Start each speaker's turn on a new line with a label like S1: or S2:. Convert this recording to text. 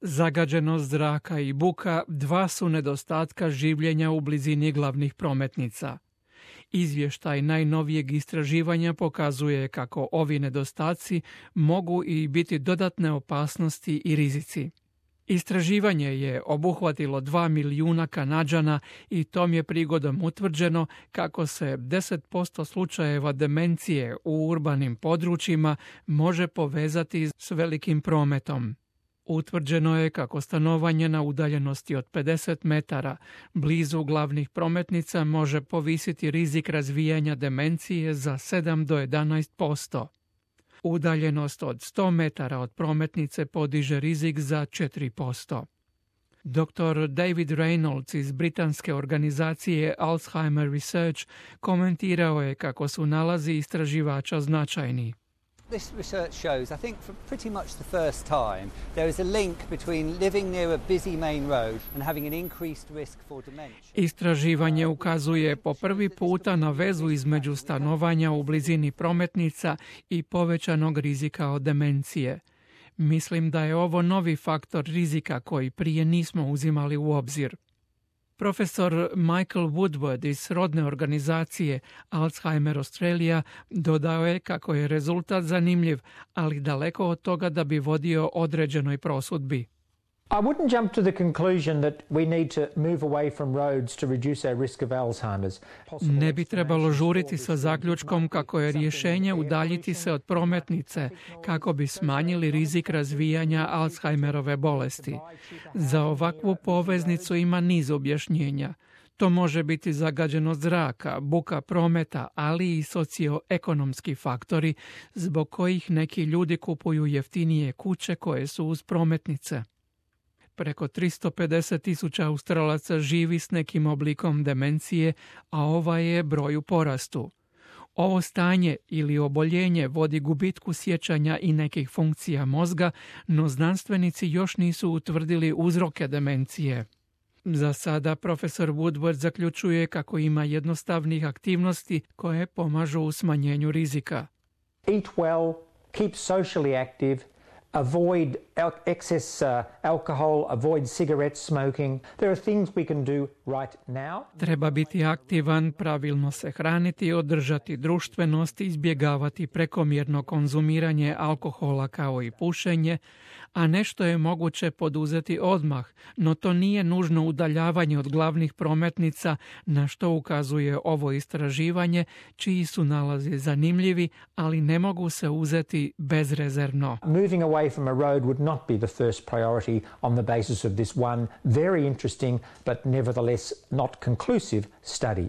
S1: Zagađenost zraka i buka dva su nedostatka življenja u blizini glavnih prometnica. Izvještaj najnovijeg istraživanja pokazuje kako ovi nedostaci mogu i biti dodatne opasnosti i rizici. Istraživanje je obuhvatilo 2 milijuna Kanađana i tom je prigodom utvrđeno kako se 10% slučajeva demencije u urbanim područjima može povezati s velikim prometom. Utvrđeno je kako stanovanje na udaljenosti od 50 metara blizu glavnih prometnica može povisiti rizik razvijanja demencije za 7 do 11%. Udaljenost od 100 metara od prometnice podiže rizik za 4%. Dr. David Reynolds iz britanske organizacije Alzheimer Research komentirao je kako su nalazi istraživača značajni.
S2: This research shows, I think for pretty much the first time, there is a link between living near a busy main road and having an increased risk for dementia.
S1: Istraživanje ukazuje po prvi puta na vezu između stanovanja u blizini prometnica i povećanog rizika od demencije. Mislim da je ovo novi faktor rizika koji prije nismo uzimali u obzir. Profesor Michael Woodward iz srodne organizacije Alzheimer Australia dodao je kako je rezultat zanimljiv, ali daleko od toga da bi vodio određenoj prosudbi.
S3: I wouldn't jump to the conclusion that we need to move away from roads to reduce our risk of Alzheimer's.
S1: Ne bi trebalo žuriti sa zaključkom kako je rješenje udaljiti se od prometnice kako bi smanjili rizik razvijanja Alzheimerove bolesti. Za ovakvu poveznicu ima niz objašnjenja. To može biti zagađenost zraka, buka prometa, ali i socioekonomski faktori zbog kojih neki ljudi kupuju jeftinije kuće koje su uz prometnice. Preko 350.000 Australaca živi s nekim oblikom demencije, a ovaj je broj u porastu. Ovo stanje ili oboljenje vodi gubitku sjećanja i nekih funkcija mozga, no znanstvenici još nisu utvrdili uzroke demencije. Za sada profesor Woodward zaključuje kako ima jednostavnih aktivnosti koje pomažu u smanjenju rizika.
S3: Eat well, keep socially active, avoid excess alcohol, avoid cigarette smoking. There are things we can do right now.
S1: Treba biti aktivan, pravilno se hraniti, održati društvenost, izbjegavati prekomjerno konzumiranje alkohola kao i pušenje, a nešto je moguće poduzeti odmah, no to nije nužno udaljavanje od glavnih prometnica, na što ukazuje ovo istraživanje, čiji su nalazi zanimljivi, ali ne mogu se uzeti bezrezervno.
S3: Moving away from a road would not be the first priority on the basis of this one very interesting but nevertheless not conclusive study.